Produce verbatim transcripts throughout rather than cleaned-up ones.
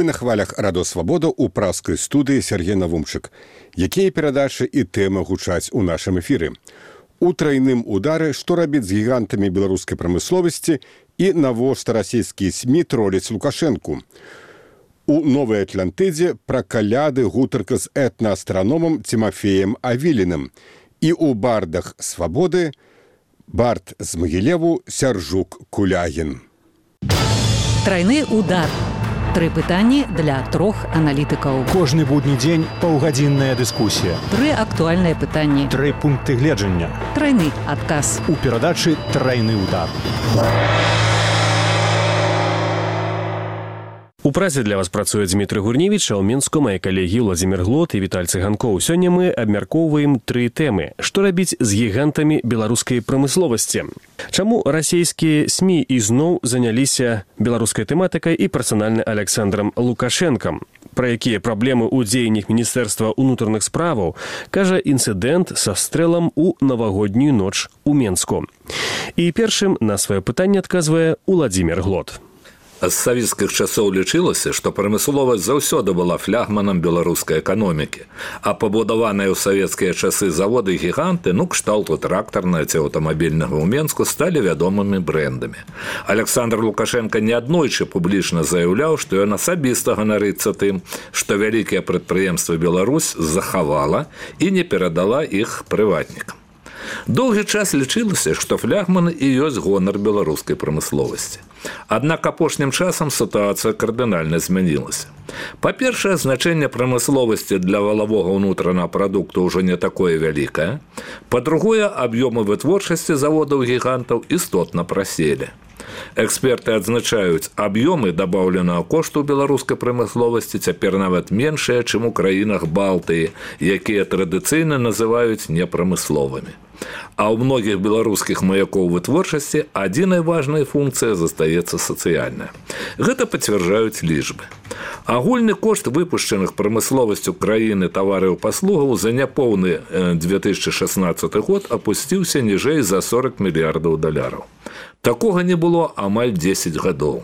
Мы на хвалях Радо Свабода ў праскай студыі Сергей Навумчык. Якія перадачы і тэмы гучаць у нашым эфіры? У трайным удары, што рабіць з гігантамі беларускай прамысловасці і навошта расійскія СМІ троляць Лукашэнку. У Новай Атлантыдзе пра каляды гутарка з этнаастраномам Тимофеем Авіліным. І у бардах Свабоды бард з Магілеву Сяржук Кулягін. Трайны удар. Тры пытанні для трох аналітыкаў. Кожны будні дзень паўгадзінная дыскусія. Тры актуальныя пытанні. Тры пункты гледжання. Трайны адказ. У перадачы «Трайны удар». У празе для вас працуе Дмітрый Гурневіч, а ў Мінску мае калегі Владзімір Глот і Віталь Цыганкоў. Сёння мы абмяркоўваем тры тэмы. Што рабіць з гігантамі беларускай прамысловасці? Чаму расійскія СМІ ізноў заняліся беларускай тэматыкай і персанальна Александрам Лукашэнкам? Пра якія праблемы ў дзеяннях Міністэрства ўнутраных справаў кажа інцыдэнт са стрэлам у навагоднюю ноч у Мінску. І першым на сваё пытанне адказвае Владзімір Глот. З савецкіх часоў лічылася, што прамысловасць заўсёды была флягманам беларускай эканомікі, а пабудаваныя ў савецкія часы заводы-гіганты, ну, кшталту трактарнага ці аўтамабільнага ў Мінску, сталі вядомымі брэндамі. Александр Лукашенко неаднойчы публічна заяўляў, што ён асабіста ганарыцца тым, што вялікія прадпрыемствы Беларусь захавала і не перадала іх прыватнікам. Доўгі час лічылася, што флягманы і ёсць гонар беларускай прамысловасці. Аднак апошнім часам сітуацыя кардынальна змянілася. Па-першае, значэнне прамысловасці для валавога ўнутранага прадукту ўжо не такое вялікае. Па-другое, аб'ёмы вытворчасці заводаў-гігантаў істотна праселі. Эксперты адзначаюць, аб'ёмы дабаўленага кошту беларускай прамысловасці цяпер нават меншыя, чым у краінах Балтыі, якія традыцыйна называюць непрамысловымі. А ў многіх беларускіх маякоў вытворчасці адзінай важнай функцыяй застаецца сацыяльная. Гэта пацвярджаюць лічбы. Агульны кошт выпушчаных прамысловасцю краіны тавараў і паслугаў за няпоўны две тысячы шаснаццаты год апусціўся ніжэй за сорок мільярдаў даляраў. Такога не было амаль дзесяць гадоў.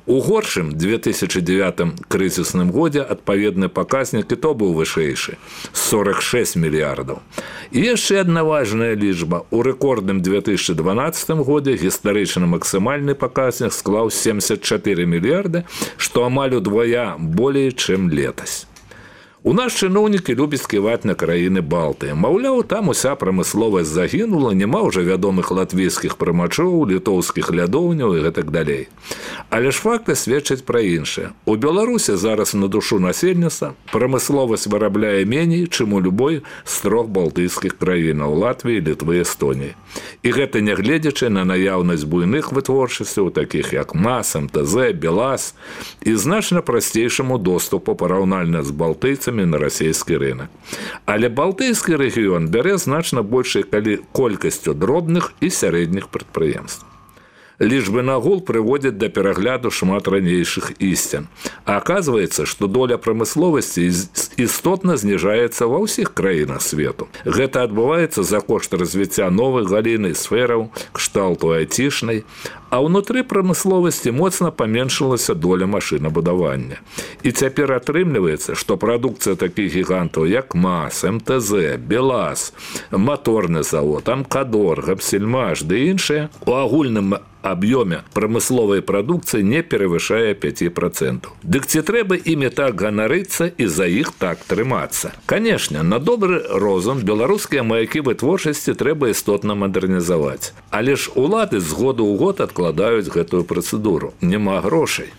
У горшым две тысячы дзевятым крызісным годзе адпаведны паказнік і то быў вышэйшы – сорок шесть мільярдаў. І яшчэ адна важная лічба. У рэкордным две тысячы дванаццатым годзе гістарычна максімальны паказнік склаў семьдесят четыре мільярды, што амаль удвая болей, чым летась. У нас чыноўнікі любяць ківаць на краіны Балтыі. Маўляў, там уся прамысловасць загінула, няма ўжо вядомых латвійскіх прымачоў, літоўскіх лядоўняў і гэтак далей. Але ж факты сведчаць пра іншае. У Беларусі зараз на душу насельніцтва прамысловасць вырабляе меней, чым у любой з трох балтыйскіх краінаў – Латвіі, Літвы, Эстоніі. І гэта нягледзячы на наяўнасць буйных вытворчасцяў, такіх як МАЗ, МТЗ, БелАЗ, і значна прасцейшаму доступу параўнальна з балтыйцамі на расійскі рынок. Але балтыйскі рэгіён бярэ значна большай колькасцю дробных і сярэдніх прадпрыемств. Лічбы нагул прыводзяць да перагляду шмат ранейшых ісцін. А аказваецца, што доля прамысловасці істотна зніжаецца ва ўсіх краінах свету. Гэта адбываецца за кошт развіцця новых галін і сфераў, кшталту айцішнай, а ўнутры прамысловасці моцна паменшылася доля машынабудавання. І цяпер атрымліваецца, што прадукцыя такіх гігантаў, як МАЗ, МТЗ, БелАЗ, маторны завод, Амкадор, Гапсельмаш ды іншыя, у агульным аб'ёме прамысловай прадукцыі не перавышае пяць працэнтаў. Дык ці трэба імі так ганарыцца і за іх так трымацца? Канешне, на добры розум беларускія маякі вытворчасці трэба істотна мадэрнізаваць. Але ж улады з году ў год адкладаюць гэтую працэдуру. Няма грошай.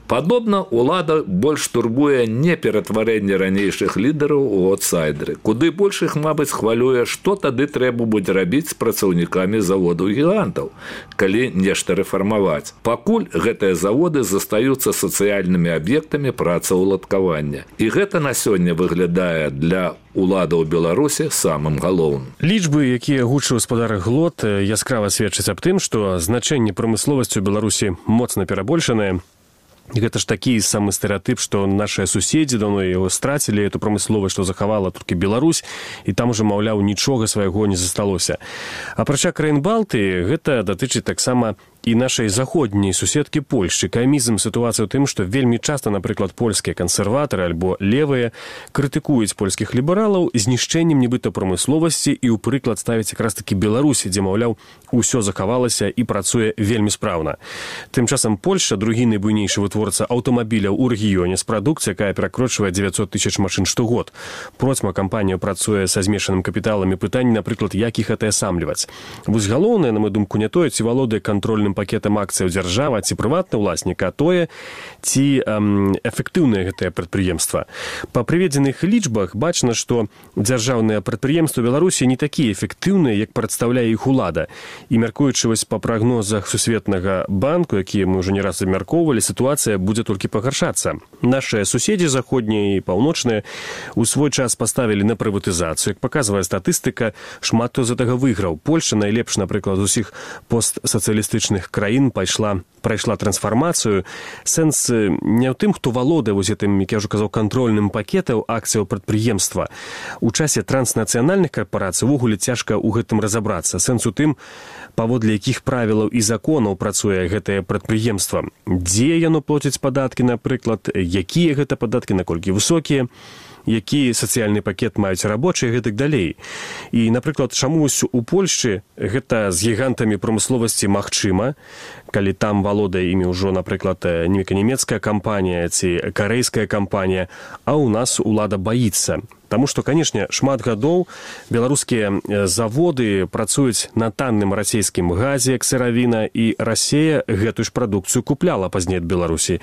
Падобна, улада больш турбуе не ператварэнне ранейшых лідараў у аутсайдеры. Куды больш іх, мабыць, хвалюе, што тады трэба будзе рабіць з працаўнікамі заводаў-гігантаў, калі нешта рэфармаваць. Пакуль гэтыя заводы застаюцца сацыяльнымі аб'ектамі працаўладкавання. І гэта на сёння выглядае для уладаў Беларусі самым галоўным. Лічбы, якія гучыў гаспадар Глот, яскрава сведчаць аб тым, што значэнне прамысловасці ў Беларусі моцна перабольшанае. Гэта ж такі самы стэрэатып, што нашыя суседзі даўно яго страцілі, эту прамысловасць, што захавала толькі Беларусь, і там ужо, маўляў, нічога свайго не засталося. Апрача краін Балтыі, гэта датычыць таксама і нашай заходняй суседкі Польшчы. Камізм сітуацыя ў тым, што вельмі часта, напрыклад, польскія кансерватары альбо левыя крытыкуюць польскіх лібералаў знішчэннем нібыта прамысловасці і ў прыклад ставяць якраз такі Беларусі, дзе, маўляў, усё захавалася і працуе вельмі спраўна. Тым часам Польшча, другі найбуйнейшы вытворца аўтамабіляў у рэгіёне з прадукцыяй, якая перакрочвае дзевяцьсот тысяч машын штогод. Процьма кампанія працуе са змешаным капіталам і пытанне, напрыклад, як іх атаясамліваць. Вось галоўнае, на маю думку, не тое, ці валодае кантрольным пакетам акцыяў дзяржава, ці прыватны ўласнік, а тое, ці эм, эфектыўнае гэтае прадпрыемства. Па прыведзеных лічбах бачна, што дзяржаўныя прадпрыемствы Беларусі не такія эфектыўныя, як прадстаўляе іх улада. І мяркуючы вось па прагнозах Сусветнага банку, якія мы ўжо не раз абмяркоўвалі, сітуацыя будзе толькі пагаршацца. Нашыя суседзі заходнія і паўночныя у свой час паставілі на прыватызацыю. Як паказвае статыстыка, шмат хто з гэтага выйграў. Польшча найлепш, напрыклад, з усіх постсацыялістычных краін пайшла прайшла трансфармацыю. Сэнс не ў тым, хто валодае вось гэтым, як я ўжо казаў, кантрольным пакетаў акцыяў прадпрыемства. У часе транснацыянальных карпорацый увогуле цяжка ў гэтым разабрацца. Сэнс у тым, паводле якіх правілаў і законаў працуе гэтае прадпрыемства. Дзе яно плоціць падаткі, напрыклад, якія гэта падаткі, наколькі высокія, які сацыяльны пакет маюць рабочыя і гэтак далей. І, напрыклад, чамусь у Польшчы гэта з гігантамі прамысловасці магчыма, калі там валодае імі ўжо, напрыклад, нямецкая кампанія ці карэйская кампанія, а ў нас улада баіцца. Таму што, канешне, шмат гадоў беларускія заводы працуюць на танным расійскім газе, як сыравіна, і Расія гэтую ж прадукцыю купляла пазней ад Беларусі.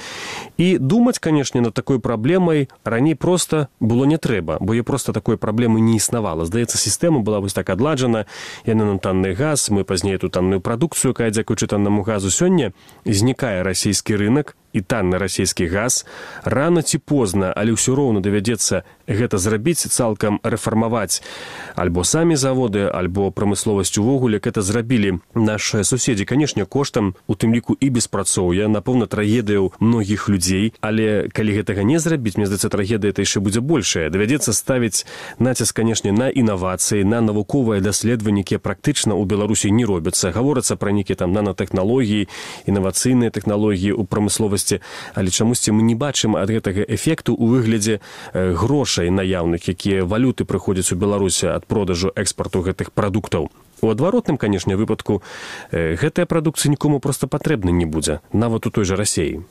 І думаць, канешне, над такой праблемай раней проста было не трэба, бо я проста такой праблемы не існавала. Здаецца, сістэма была вось так адладжана, яна на танны газ, мы пазней эту танную прадукцыю, якая, дзякуючы таннаму газу, сёння знікае расійскі рынак, і танны расійскі газ. Рана ці позна, але ўсё роўна давядзецца гэта зрабіць, цалкам рэфармаваць альбо самі заводы, альбо прамысловасць увогуле. Гэта зрабілі нашыя суседзі, канешне, коштам, у тым ліку і беспрацоўя, напэўна, трагедыяў многіх людзей, але калі гэтага не зрабіць, мне здаецца, трагедыя это яшчэ будзе большая. Давядзецца ставіць націск, канешне, на інавацыі, на навуковыя даследаванні, якія практычна ў Беларусі не робяцца. Гаворыцца пра нейкія там нанотэхналогіі, інавацыйныя тэхналогіі ў прамысловасці, але чамусьці мы не бачым ад гэтага эфекту ў выглядзе грошай наяўных, якія валюты прыходзяць у Беларусі ад продажу экспарту гэтых прадуктаў. У адваротным, канешне, выпадку гэтая прадукцыя нікому проста патрэбна не будзе, нават у той жа Расіі.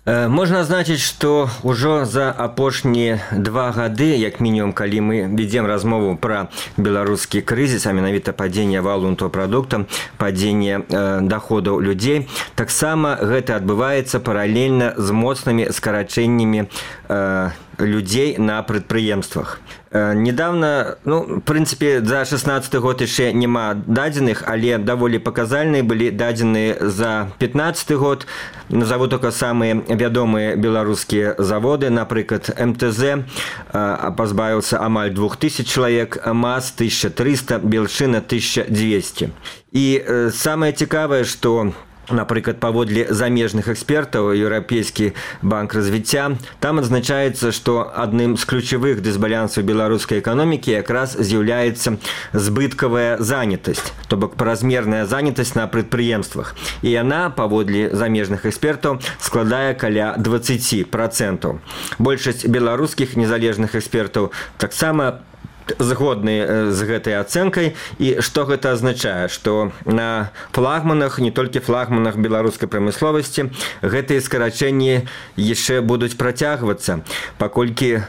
Можна азначыць, што ўжо за апошнія два гады, як мінімум, калі мы ведзем размову пра беларускі крызіс, а менавіта падзенне валовага прадукта, падзенне э, даходаў людзей, таксама гэта адбываецца паралельна з моцнымі скарачэннямі э, людзей на прадпрыемствах. Э, недавно, ну, в прынцыпе, за шестнадцаты год яшчэ няма дадзеных, але даволі паказальныя былі дадзеныя за пятнадцаты год. Назову только самыя вядомыя беларускія заводы, напрыклад, эм тэ зэ э, пазбавіўся амаль двух тысяч чалавек, МАЗ тысяча триста, Белшина тысяча двести. І э, самае цікавае, што напрыклад, паводле замежных экспертаў, Еўрапейскі банк развіцця, там адзначаецца, што адным з ключавых дысбалансаў беларускай эканомікі якраз з'яўляецца збыткавая занятасць, то бок празмерная занятасць на прадпрыемствах. І яна, паводле замежных экспертаў, складае каля дваццаць працэнтаў. Большасць беларускіх незалежных экспертаў таксама згодны з гэтай ацэнкай. І што гэта азначае? Што на флагманах, не толькі флагманах беларускай прамысловасці, гэтыя скарачэнні яшчэ будуць працягвацца, паколькі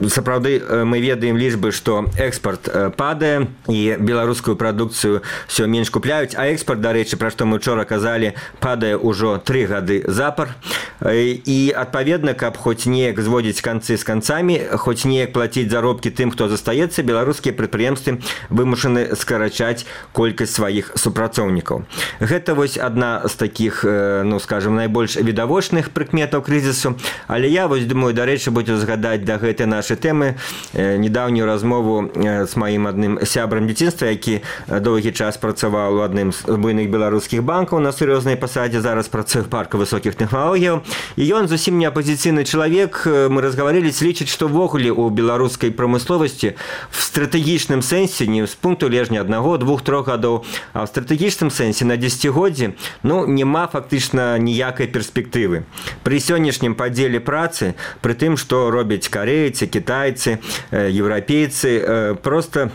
сапраўды мы ведаем лічбы, што экспарт падае і беларускую прадукцыю ўсё менш купляюць, а экспарт, дарэчы, пра што мы учора казалі, падае ўжо тры гады запар. І адпаведна, каб хоць неяк зводзіць канцы з канцамі, хоць неяк плаціць заробкі тым, хто застаецца, беларускія прадпрыемствы вымушаны скарачаць колькасць сваіх супрацоўнікаў. Гэта вось адна з такіх, ну, скажем, найбольш відавочных прыкметаў крызісу. Але я вось думаю, дарэчы, буду згадаць да гэтай нашай тэмы недаўнюю размову з маім адным сябрам дзяцінства, які доўгі час працаваў у адным з буйных беларускіх банкаў на сур'ёзнай пасадзе, зараз працуе в парку высокіх тэхналогіяў. І ён зусім не апазіцыйны чалавек. Мы разгаварылись, лічыць, што ввогуле у беларускай прамысловасці в стратэгічным сэнсе, не з пункту лежня аднаго, двух, трох гадоў, а в стратэгічным сэнсе на дзесяцігоддзі, ну, няма фактычна ніякай перспектывы. Пры сённяшнім падзеле працы, пры тым, што робяць карейцы, кітайцы, еўрапейцы, просто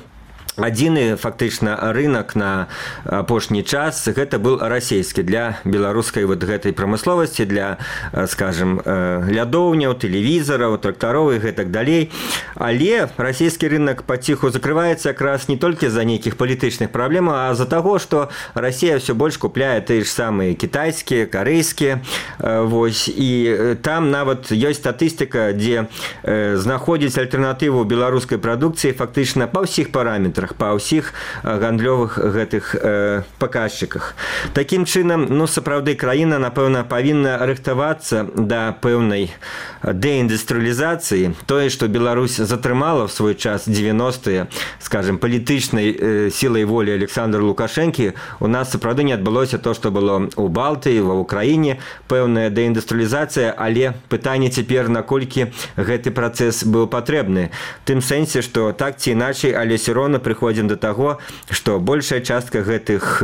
адзіны фактычна рынок на апошні час гэта был расійскі для беларускай вот гэтай прамысловасці, для, скажем, лядоўняў, тэлевізараў, трактароў і гэтак далей. Але расійскі рынок паціху закрываецца якраз не толькі з-за нейкіх палітычных праблем, а з-за таго, што Расія ўсё больш купляе тыя ж самыя кітайскія, карэйскія. Вось, і там нават ёсць статыстыка, дзе знаходзіць альтэрнатыву беларускай прадукцыі фактычна па ўсіх параметрах, па ўсіх гандлёвых гэтых э, паказчыках. Такім чынам, ну, сапраўды краіна, напэўна, павінна рыхтавацца да пэўнай дэіндустрыялізацыі. Тое, што Беларусь затрымала в свой час дзевяностыя, скажем, палітычнай э, сілай волі Александра Лукашэнкі, у нас сапраўды не адбылося то, што было ў Балтыі, ва Ўкраіне, пэўная дэіндустрыялізацыя, але пытанне цяпер, наколькі гэты працэс быў патрэбны. Тым сэнсе, што так ці іначай, але все роўна прыходзім да таго, што большая частка гэтых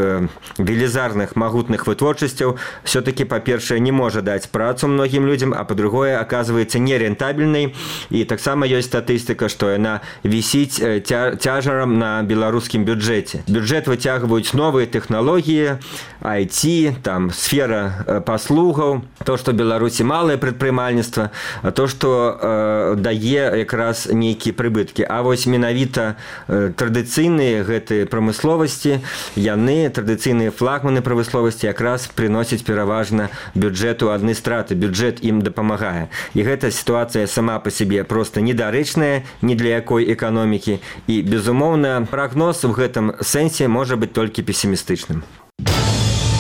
велізарных магутных вытворчасцяў все-таки, па-першае, не можа даць працу многім людзям, а па-другое, аказваецца нерентабельнай. І таксама ёсць статыстыка, што яна вісіць ця цяжарам на беларускім бюджэце. Бюджэт выцягваюць новыя тэхналогіі, ай ти, там сфера паслугаў, то, што Беларусі малае прадпрымальніцтва, то, што э, дае якраз нейкія прыбыткі. А вось менавіта э, традыцыйныя гэтыя прамысловасці, яны, традыцыйныя флагманы прамысловасці, якраз прыносяць пераважна бюджэту адны страты, бюджэт ім дапамагае. І гэта сітуацыя сама па сябе проста недарэчная ні для якой эканомікі. І, безумоўна, прагноз у гэтым сэнсе можа быць толькі песімістычным.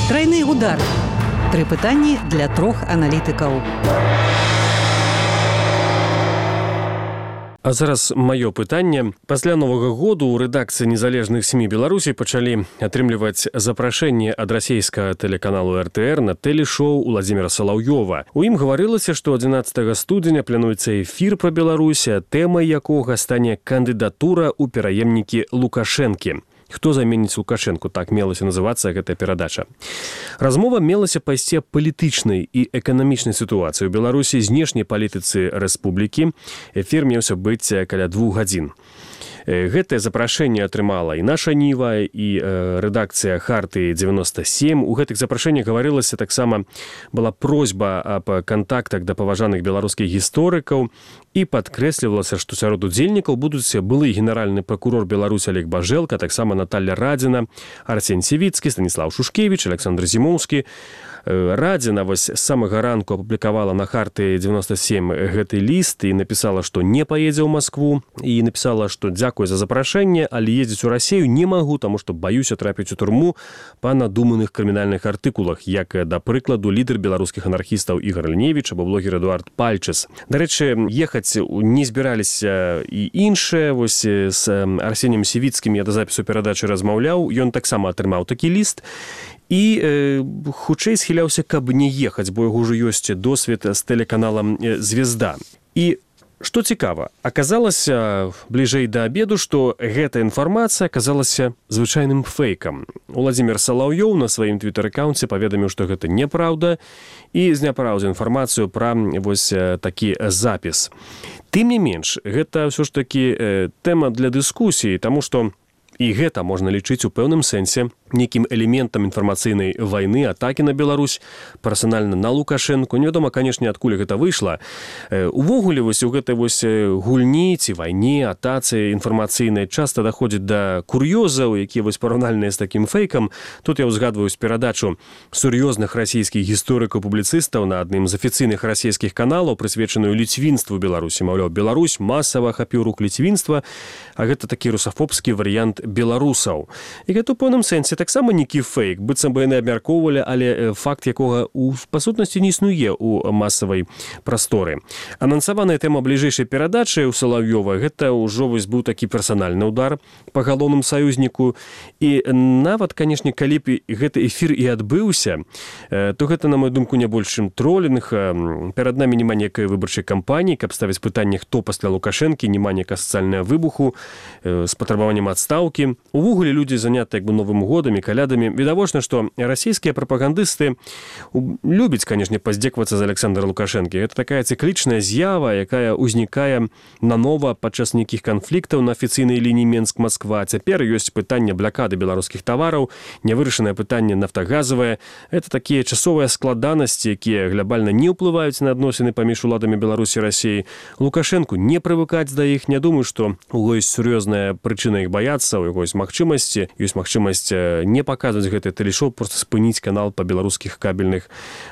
Трайны удар. Тры пытанні для трох аналітыкаў. А зараз маё пытанне. Пасля Новага году ў рэдакцыі незалежных СМІ Беларусі пачалі атрымліваць запрашэнне ад расійскага тэлеканалу эр тэ эр на тэлешоу Уладзіміра Салаўёва. У ім гаварылася, што адзінаццатага студзеня плануецца эфір пра Беларусь, тэмай якога стане кандыдатура ў пераемнікі Лукашэнкі. Хто заменіць Лукашэнку, так мелася называцца гэтая перадача. Размова мелася пайсці аб палітычнай і эканамічнай сітуацыі ў Беларусі, знешняй палітыцы рэспублікі. Эфір меўся быць каля двух гадзін. Гэтае запрашэнне атрымала і наша Ніва, і э, рэдакцыя Харты дзевяносто сем. У гэтых запрашэннях гаварылася таксама, была просьба аб кантактах да паважаных беларускіх гісторыкаў, і падкрэслівалася, што сярод удзельнікаў будуць былы генеральны пракурор Беларусі Олег Бажэлка, таксама Наталья Радзіна, Арсень Сівіцкі, Станіслав Шушкевіч, Александр Зімоўскі. Радзіна вось з самага ранку апублікавала на Харты дзевяносто сем гэты ліст і напісала, што не паедзе ў Маскву, і напісала, што дзякуй за запрашэнне, але ездзіць у Расію не магу, таму што баюся трапіць у турму па надуманых крымінальных артыкулах, як, да прыкладу, лідар беларускіх анархістаў Ігор Ліневіч або блогер Эдуард Пальчес. Дарэчы, ехаць не збіраліся і іншыя. Вось з Арсенем Сівіцкім я да запісу перадачы размаўляў, ён таксама атрымаў такі ліст, і э, хутчэй схіляўся, каб не ехаць, бо яго ўжо ёсць досвед з тэлеканалам «Звезда». І што цікава, аказалася бліжэй да абеду, што гэта інфармацыя аказалася звычайным фэйкам. Уладзімір Салаўёў на сваім твітэр-акаунце паведаміў, што гэта неправда, і зняпраўдзіў інфармацыю пра вось такі запіс. Тым не менш, гэта ўсё ж такі э, тэма для дыскусіі, таму што і гэта можна лічыць у пэўным сэнсе нейкім элементам інфармацыйнай вайны, атакі на Беларусь, персанальна на Лукашэнку. Невядома, канешне, адкуль гэта выйшла. Увогуле, вось у гэтай вось гульні ці вайне, атацы інфармацыйнай часта даходзіць да кур'ёзаў, якія вось параўнальныя з такім фэйкам. Тут я ўзгадваю з перадачу сур'ёзных расійскіх гісторыкаў-публіцыстаў на адным з афіцыйных расійскіх каналаў, прысвечаную ліцвінству Беларусі. Маўляў, Беларусь масава ахапіў рук ліцвінства, а гэта такі русафобскі варыянт беларусаў. І гэта ў пэўным сэнсе таксама нейкі фейк, быццам бы яны абмяркоўвалі, але факт якога у па сутнасці не існуе ў масавай прасторы. Анансаваная тэма бліжэйшай перадачы ў Салаўёва гэта ўжо вось быў такі персанальны удар па галоўным саюзніку. І нават, канешне, калі б гэты эфір і адбыўся, то гэта, на мою думку, не больш чым тролінг. Перад намі няма некай выбарчай кампаніі, каб ставіць пытанне, хто пасля Лукашэнкі, няма некая сацыяльная выбуху з патрабаваннем адстаўкі. Увогуле людзі заняты як бы новым годам і калядамі. Відавочна, што расійскія прапагандысты любяць, канешне, паздзеквацца з Александра Лукашэнкі. Гэта такая цыклічная з'ява, якая ўзнікае нанова падчас нейкіх канфліктаў на афіцыйнай лініі Менск-Масква. Цяпер ёсць пытанне блакады беларускіх тавараў, нявырашанае пытанне нафтагазавае. Гэта такія часовыя складанасці, якія глобальна не ўплываюць на адносіны паміж уладамі Беларусі і Расіі. Лукашэнку не прывыкаць да іх. Не думаю, што у ёсць сур'ёзная прычына іх баяцца, у яго ёсць магчымасці, ёсць магчымасць не паказваць гэты тэлешоу, проста спыніць канал па беларускіх кабельных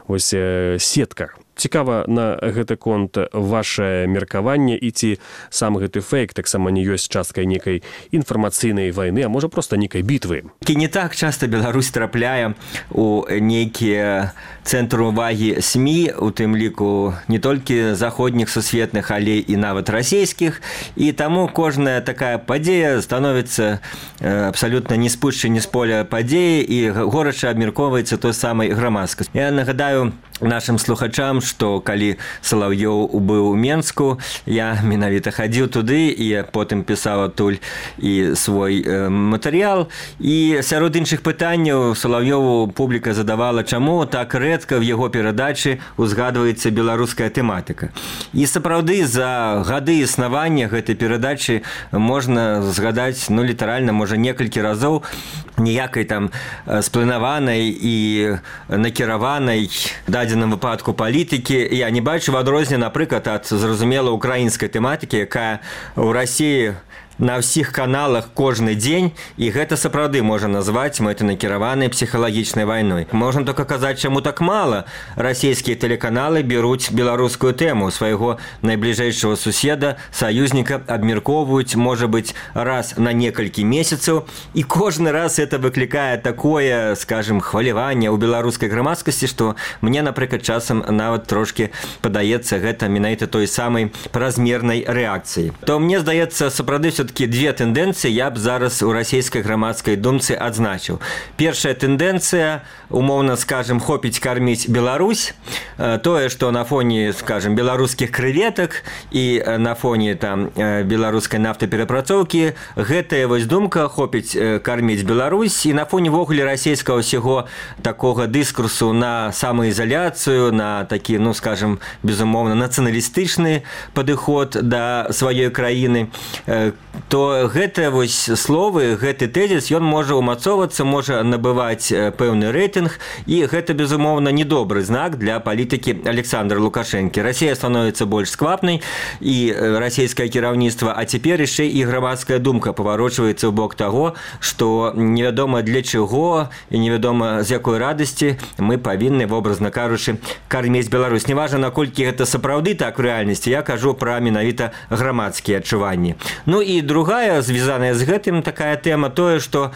ось сетках. Цікава на гэты конт ваше меркаванне і ці сам гэты фейк таксама не ёсць часткай некай інфармацыйнай вайны, а можа проста некай бітвы. І не так часта Беларусь трапляе у нейкія цэнтры увагі СМІ, у тым ліку не толькі заходніх сусветных, але і нават расійскіх, і таму кожная такая падзея становіцца абсалютна не спушчанне з поля падзеі і горача абмяркоўваецца той самай грамадскасцю. Я нагадаю нашим слухачам, што калі Салаўёў быў у Менску, я менавіта хадзіў туды і потым пісаў адтуль і свой э, матэрыял. І сярод іншых пытанняў Салаўёву публіка задавала, чаму так рэдка в яго перадачы узгадваецца беларуская тэматыка. І сапраўды за гады існавання гэтай перадачы можна згадаць, ну, літаральна, можа, некалькі разоў ніякай там спланаванай і накіраванай дадзеным выпадку палітыкі я не бачу, в адрозненне, напрыклад, ад зразумела украінскай тэматыкі, якая ў Расіі на ўсіх каналах кожны дзень, і гэта сапраўды можа назваць мэтанакіраванай псіхалагічнай вайной. Можна толькі казаць, чаму так мала расійскія тэлеканалы беруць беларускую тэму свайго найбліжэйшага суседа, саюзніка, абмяркоўваюць, можа быць, раз на некалькі месяцаў, і кожны раз это выклікае такое, скажем, хваляванне ў беларускай грамадскасці, што мне, напрыклад, часам нават трошкі падаецца гэта менавіта той самай празмернай рэакцыі. То мне здаецца, сапраўды все все-таки две тенденции я б зараз у расійскай грамадскай думцы адзначыў. Першая тэндэнцыя, умоўна скажем, хопіць карміць Беларусь, тое, што на фоне, скажем, беларускіх крэветак і на фоне там беларускай нафтаперапрацоўкі гэтая вось думка хопіць карміць Беларусь, і на фоне ввогуле расійскага ўсяго такога дыскурсу на самаізаляцыю, на такі, ну, скажем, безумоўна, нацыяналістычны падыход да сваёй краіны, то гэтыя вось словы, гэты тэзіс, ён можа ўмацоўвацца, можа набываць пэўны рэйтынг, і гэта, безумоўна, недобры знак для палітыкі Александра Лукашэнкі. Расія становіцца больш сквапнай, і расійскае кіраўніцтва, а цяпер яшчэ і грамадская думка паварочваецца ў бок таго, што невядома для чаго і невядома з якой радасці мы павінны, вобразна кажучы, карміць Беларусь. Неважна, наколькі гэта сапраўды так в рэальнасці, я кажу пра менавіта грамадскія адчуванні. Ну і другая, звязаная з гэтым такая тэма, тое, што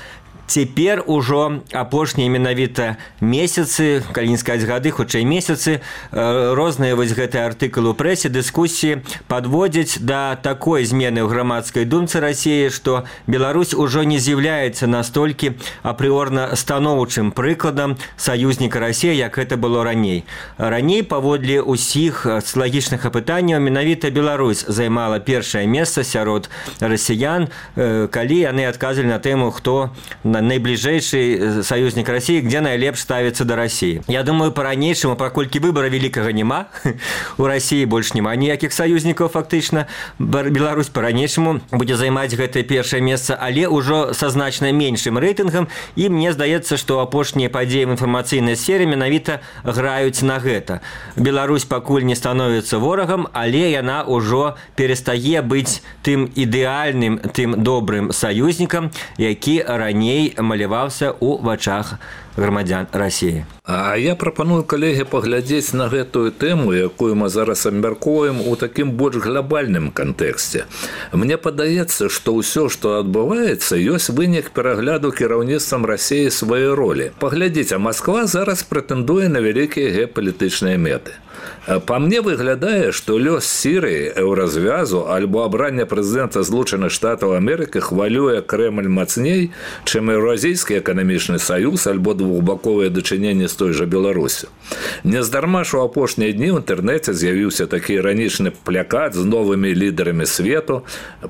цяпер ужо апошнія менавіта месяцы, калі не сказаць гады, хутчэй месяцы, розныя вось гэтыя артыкулы ў прэсе, дыскусіі падводзяць да такой змены ў грамадскай думцы Расіі, што Беларусь ужо не з'яўляецца настолькі апрыорна станоўчым прыкладам саюзніка Расіі, як гэта было раней. Раней, паводле ўсіх социалагічных апытанняў, менавіта Беларусь займала першае месца сярод расіян, калі яны адказвалі на тэму, хто найбліжэйшы саюзнік Расіі, где найлепш ставіцца да Расіі. Я думаю, па-ранейшаму, паколькі выбара вялікага няма, у Расіі больш няма ніякіх саюзнікаў фактычна, Беларусь па-ранейшаму будзе займаць гэтае першае месца, але ўжо са значна меншым рэйтынгам, і мне здаецца, што апошнія падзеі в інфармацыйнай сфере менавіта граюць на гэта. Беларусь пакуль не становіцца ворагам, але яна ўжо перастае быць тым ідэальным, тым добрым саюзнікам, які раней раней маляваўся ў вачах грамадзян Расіі. А я прапаную, калегі, паглядзець на гэтую тэму, якую мы зараз абмяркоўваем у такім больш глобальным кантэксце. Мне падаецца, што ўсё, што адбываецца, ёсць вынік перагляду кіраўніцтвам Расіі сваёй ролі. Паглядзіце, Масква зараз прэтэндуе на вялікія геапалітычныя мэты. Па мне выглядае, што лёс Сірыі, еўразвязу альбо абранне прэзідэнта Злучаных Штатаў Амерыкі хвалюе Крэмль мацней, чым Еўразійскі эканамічны саюз альбо двухбаковыя дачыненні з той жа Беларусю. Нездарма ж у апошнія дні ў інтэрнэце з'явіўся такі іранічны плякат з новымі лідарамі свету,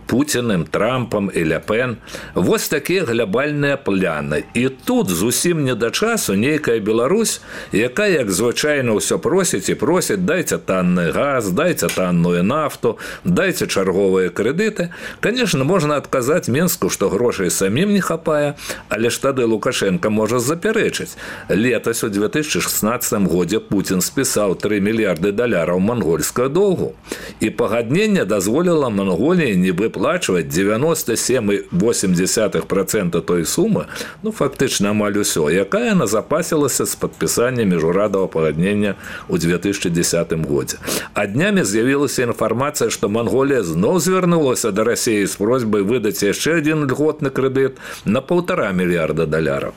Пуціным, Трампам і Ле Пен. Вось такія глобальныя пляны. І тут зусім не да часу нейкая Беларусь, якая, як звычайна, ўсё просіць і просіць, дайце танны газ, дайце танную нафту, дайце чарговыя крэдыты. Конечно, можна адказаць Мінску, што грошай самім не хапае, але ж тады Лукашенко можа запярэчыць. Летась у две тысячи шестнадцатым годзе Путін спісаў тры мільярды даляраў мангольскага доўгу. І пагадненне дазволіла Манголіі не выплачваць девяносто семь и восемь десятых процента той сумы, ну, фактычна амаль усё, якая назапасілася з падпісання міжурадавага пагаднення ў две тысячи десятым годзе. А днямі з'явілася інфармацыя, што Манголія зноў звярнулася да Расіі з просьбай выдаць яшчэ адзін льготны крэдыт на паўтара мільярда даляраў.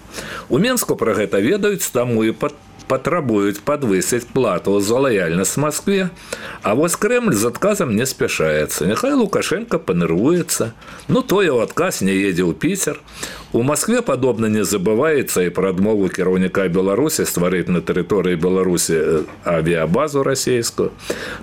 У Мінску пра гэта ведаюць, таму і пад патрабуюць падвысіць плату за лаяльнасць Маскве. А вось Крэмль з адказам не спяшаецца. Няхай Лукашенко панырвуецца. Ну, той у адказ не едзе ў Піцер. У Маскве падобна не забываецца і пра адмову кіраўніка Беларусі стварыць на тэрыторыі Беларусі авіябазу расійскую.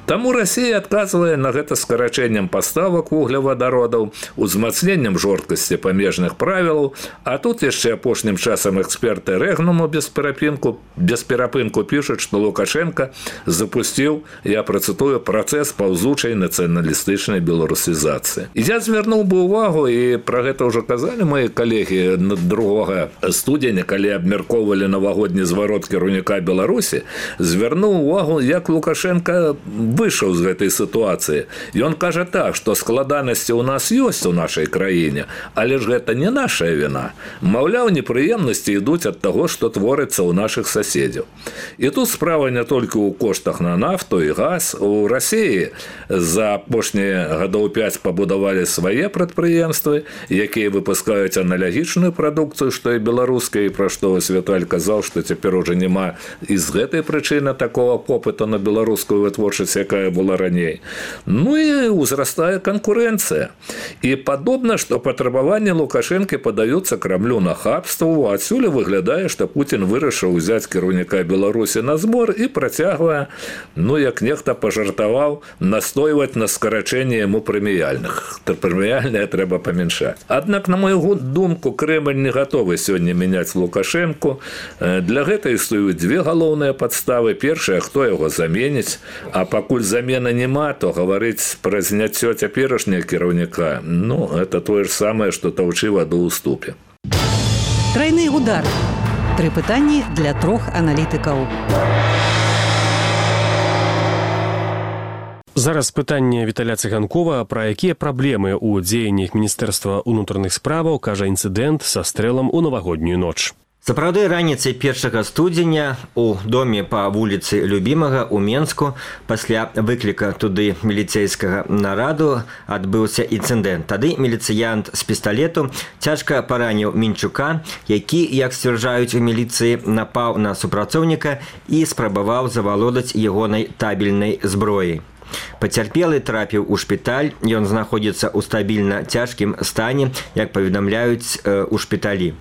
Таму Расія адказвае на гэта скарачэннем паставак вуглевадародаў, узмацненнем жорсткасці памежных правілаў, а тут яшчэ апошнім часам эксперты Рэгнуму без перапынку без перапынку пішуць, што Лукашенко запусціў, я працытую, працэс паўзучай нацыяналістычнай беларусізацыі. І я звярнуў бы ўвагу, і пра гэта ўжо казалі мои калегі другога студзеня, калі абмяркоўвалі навагодні зварот кіраўніка Беларусі, звярнуў увагу, як Лукашенко выйшаў з гэтай сітуацыі. Ён кажа так, што складанасці ў нас ёсць у нашай краіне, але ж гэта не наша віна. Маўляў, непрыемнасці ідуць ад таго, што творыцца ў нашых соседзяў. І тут справа не толькі ў коштах на нафту і газ. У Расіі за апошнія гадоў пяць пабудавалі свае прадпрыемствы, якія выпускаюць аналагічную прадукцыю, што і беларуская, і пра што Віталь казаў, што цяпер ужо няма і з гэтай прычыны такого попыту на беларускую вытворчасць, якая была раней. Ну і узрастае канкурэнцыя. І падобна, што патрабаванні Лукашэнкі падаюцца Крамлю нахабству, адсюль выглядае, што Путін вырашыў узяць кіраўніка Беларусі на збор і працягвае, ну, як нехта пажартаваў, настойваць на скарачэнні яму прэміяльных. Прэміяльныя трэба памяншаць. Аднак, на мою думку, Крэмль не гатовы сёння мяняць Лукашэнку. Для гэта існуюць дзве галоўныя падставы. Першая, хто яго заменіць, а пакуль замена няма, то гаварыць пра зняццё цяперашняга кіраўніка, ну, это тое ж самае, што таўчы ваду ў ступе. Трайны удар. Тры пытанні для трох аналітыкаў. Зараз пытанне Віталя Цыганкова, пра якія праблемы ў дзеяннях Міністэрства ўнутраных справаў кажа інцыдэнт са стрэлам у навагоднюю ноч. Сапраўды, раніцай першага студзеня у доме па вуліцы Любімага ў Менску пасля выкліка туды міліцейскага нараду адбыўся інцыдэнт. Тады міліцыянт з пісталету цяжка параніў Мінчука, які, як сцвярджаюць у міліцыі, напаў на супрацоўніка і спрабаваў завалодаць ягонай табельнай зброяй. Пацярпелы трапіў у шпіталь, ён знаходзіцца ў стабільна цяжкім стане, як паведамляюць э, у шпіталі.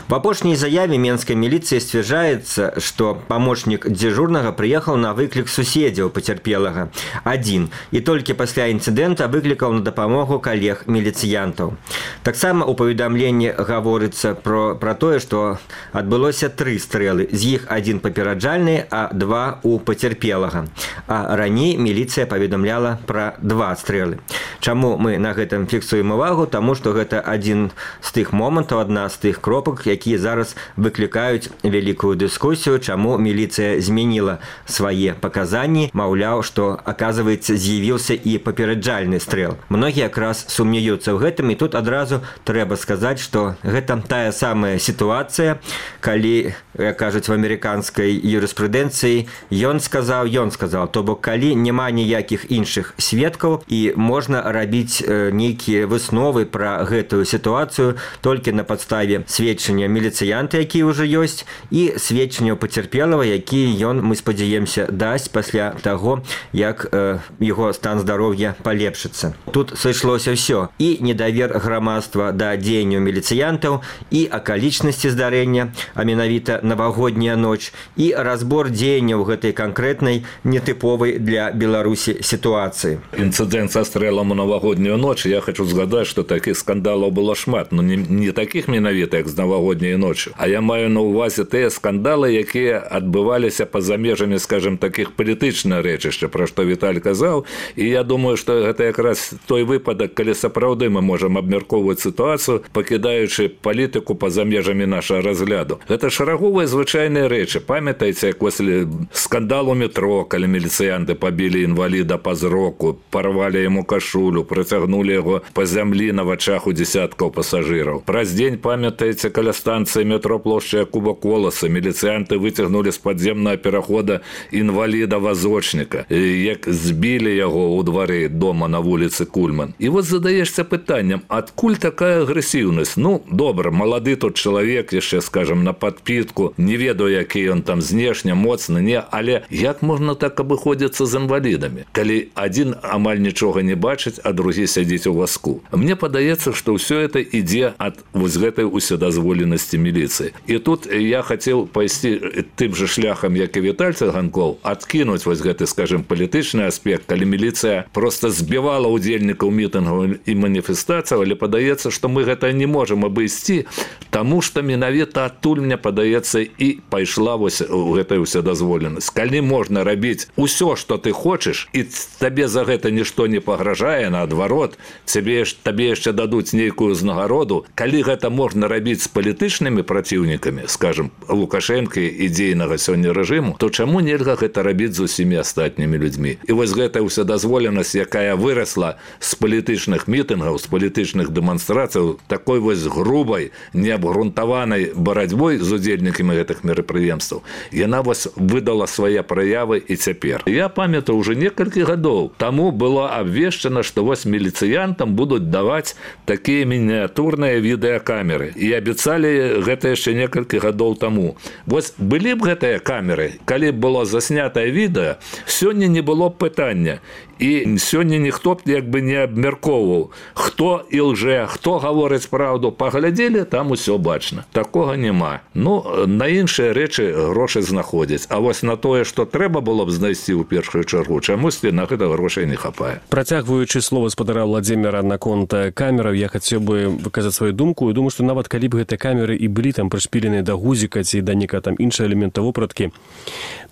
В апошняй заяве менскай міліцыі сцвярджаецца, што памочнік дзяжурнага прыехаў на выклік суседзяў пацярпелага адзін, і толькі пасля інцыдэнта выклікаў на дапамогу калег міліцыянтаў. Таксама ў паведамленні гаворыцца про, пра тое, што адбылося тры стрэлы, з іх адзін папераджальны, а два у пацярпелага. А раней міліцыя паведамляла пра два стрэлы. Чаму мы на гэтым фіксуем увагу? Таму што гэта адзін з тых момантаў, адна з тых кропак, якія зараз выклікаюць вялікую дыскусію, чаму міліцыя змяніла свае паказанні, маўляў, што, аказваецца, з'явіўся і папераджальны стрэл. Многія якраз сумняюцца ў гэтым, і тут адразу трэба сказаць, што гэта тая самая сітуацыя, калі, як кажуць в амерыканскай юрыспрудэнцыі, ён сказаў, ён сказаў, то бок калі няма ніякіх іншых сведкаў і можна рабіць нейкія высновы пра гэтую сітуацыю толькі на падставе сведчання міліцыянта, які ўжо ёсць, і сведчання пацярпелага, які ён, мы спадзяемся, дасць пасля таго, як э, яго стан здароўя палепшыцца. Тут сышлося ўсё. І недавер грамадства да дзеянняў міліцыянтаў, і акалічнасці здарэння, а менавіта навагодняя ноч, і разбор дзеянняў гэтай канкрэтнай, нетыповай для Беларусі сітуацыі. Інцыдэнт са стрэлам у навагоднюю ноч, я хочу згадаць, што такіх скандалаў было шмат, но не, не такіх менавіта, як з навагодняй ночы, а я маю на ўвазе тыя скандалы, якія адбываліся па-за межамі, скажем, такіх палітычных рэчышча, пра што Віталь казаў, і я думаю, што гэта якраз той выпадак, калі сапраўды мы можам абмяркоўваць сітуацыю, пакідаючы палітыку па-за межамі нашага разгляду. Гэта шараговыя звычайныя рэчы. Памятаеце, як пасля скандалу метро, калі міліцыянты пабілі інваліда па зроку, парвалі яму кашулю, працягнулі яго па зямлі на вачах у десяткаў пасажыраў. Праз дзень, памятаеце, каля станцыі метро плошча Якуба Коласа, міліцыянты выцягнулі з падземнага перахода інваліда-вазочніка, як збілі яго ў двары дома на вуліцы Кульман. І вот задаешься пытаннем, адкуль такая агрэсіўнасць? Ну, добра, малады тут чалавек, яшчэ, скажем, на падпітку, не ведаю, які ён там знешне, моцны, не, але як можна так абыходзіцца з інвалідамі, калі адзін амаль нічога не бачыць, а другі сядзіць у вазку? Мне падаецца, што ўсё это ідзе ад вось гэтай усёдазволенасці міліцыі. І тут я хацеў пайсці тым же шляхам, як і Віталь Циганков, адкінуць вось гэты, скажем, палітычны аспект, калі міліцыя просто збівала удзельнікаў мітынгаў і маніфестацыяў, але падаецца, што мы гэта не можам абысці, таму што менавіта адтуль, мне падаецца, і пайшла вось гэтая ўсёдазволенасць. Калі можна рабіць усё, што ты хочаш, і табе за гэта нішто не пагражае, наадварот, цябе табе яшчэ дадуць нейкую ўзнагароду, калі гэта можна рабіць з палітычнымі праціўнікамі, скажем, Лукашэнка і дзейнага сёння рэжыму, то чаму нельга гэта рабіць з усімі астатнімі людзьмі? І вось гэтая ўсёдазволенасць, якая вырасла з палітычных мітынгаў, з палітычных дэманстрацыяў, такой вось грубай, неабгрунтаванай барацьбой з удзельнікамі гэтых мерапрыемстваў, яна вось выдала свае праявы і цяпер. Я памятаю, уже некалькі гадоў таму было абвешчана, што вось міліцыянтам будуць даваць такія мініатурныя відэакамеры. І абяцалі гэта яшчэ некалькі гадоў таму. Вось былі б гэтыя камеры, калі б было заснятае відэа, сёння не было б пытання. І сёння ніхто б як бы не абмяркоўваў, хто і лжэ, хто гаворыць праўду. Паглядзелі, там усё бачна. Такога няма. Ну, на іншыя рэчы грошы знаходзяць. А вось на тое, што трэба было б знайсці ў першую чаргу, чамусьці на гэта грошай не хапае. Працягваючы слова спадара Владзіміра наконт камераў, я хацеў бы выказаць сваю думку, і думаю, што нават калі б гэтыя камеры і былі там прышпіленыя да гузіка ці да нейкага там іншага элемента вопраткі,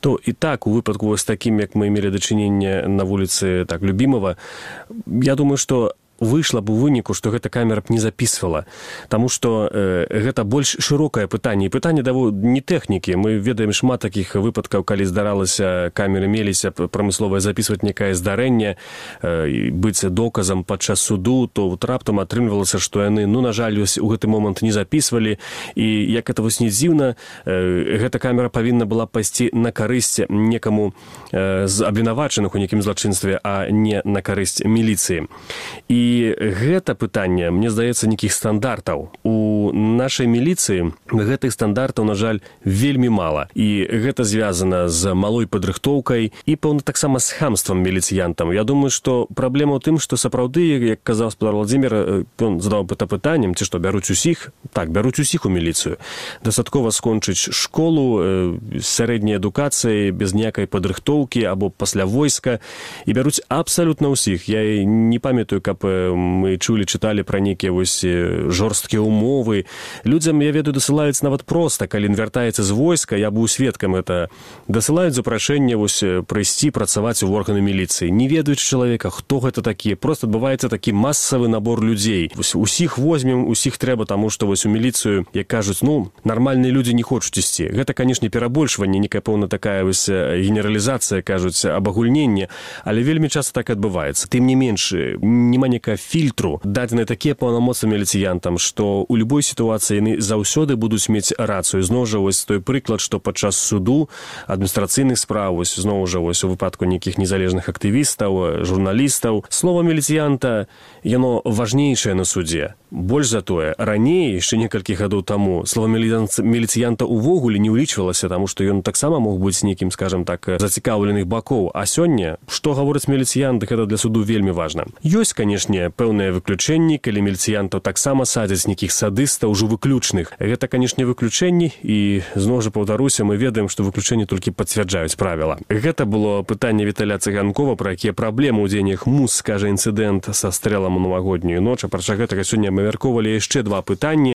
то і так у выпадку вось такім, як мы мелі дачыненне на вуліцы так любимого, я думаю, что выйшла б у выніку, што гэта камера б не записывала, таму што э, гэта больш шырокае пытанне. І пытанне даво не тэхнікі. Мы ведаем шмат такіх выпадкаў, калі здаралася, камеры меліся прамысловае записываць некае здарэнне, э, быць доказам падчас суду, то вот раптам атрымлівалася, што яны, ну, на жаль, у гэты момант не записывалі. І як это вось не дзіўна, э, гэта камера павінна была пайсці на карысць некаму э, з абвінавачаных у нейкім злачынстве, а не на карысць міліцыі. І І гэта пытанне, мне здаецца, нейкіх стандартаў. У нашай міліцыі гэтых стандартаў, на жаль, вельмі мала. І гэта звязана з малой падрыхтоўкай і, пэўна, таксама з хамствам міліцыянтам. Я думаю, што праблема ў тым, што сапраўды, як казаў спадар Владзімір, ён задаў гэта пытаннем, ці што, бяруць усіх? Так, бяруць усіх у міліцыю. Дастаткова скончыць школу, сярэдняй адукацыі, без ніякай падрыхтоўкі або пасля войска, і бяруць абсалютна ўсіх. Я не памятаю, каб мы чулі чыталі пра нейкія вось жорсткія умовы. Людзям, я ведаю, дасылаюць нават проста, калі ён вяртаецца з войска, я быў сведкам это, дасылаюць запрашэнне вось прыйсці працаваць у органы міліцыі. Не ведаюць чалавека, хто гэта такі. Просто адбываецца такі масавы набор людзей. Вось усіх возьмем, усіх трэба, таму што вось у міліцыю, як кажуць, ну, нармальныя людзі не хочуць ісці. Гэта, канешне, перабольшванне, некая пэўна такая вось генералізацыя, кажуць, абагульненне, але вельмі часта так адбываецца. Тым не менш, няма некага фільтру, дадзены такія паўнамоцтвы міліцыянтам, што ў любой сітуацыі яны заўсёды будуць мець рацыю. Зноў жа вось той прыклад, што падчас суду, адміністрацыйных справ, вось зноў жа вось у выпадку нейкіх незалежных актывістаў, журналістаў, слова міліцыянта, яно важнейшае на судзе. Больш за тое, раней, яшчэ некалькі гадоў таму, слова міліцыянта увогуле не ўлічвалася, таму што ён таксама мог быць нейкім, скажам так, зацікаўленых бакоў. А сёння, што гаворыць міліцыянт, гэта для суду вельмі важна. Ёсць, канешне, пэўныя выключэнні, калі міліцыянтаў таксама садзяць нейкіх садыстаў, ужо выключных. Гэта, канешне, выключэнні, і зноў жа паўтаруся, мы ведаем, што выключэнні толькі пацвярджаюць правіла. Гэта было пытанне Віталя Цыганкова, пра якія праблемы ў дзеяннях МУС, скажа інцыдэнт са стрэлам у навагоднюю ноч. Апрача гэтага сёння мы абмяркоўвалі яшчэ два пытанні.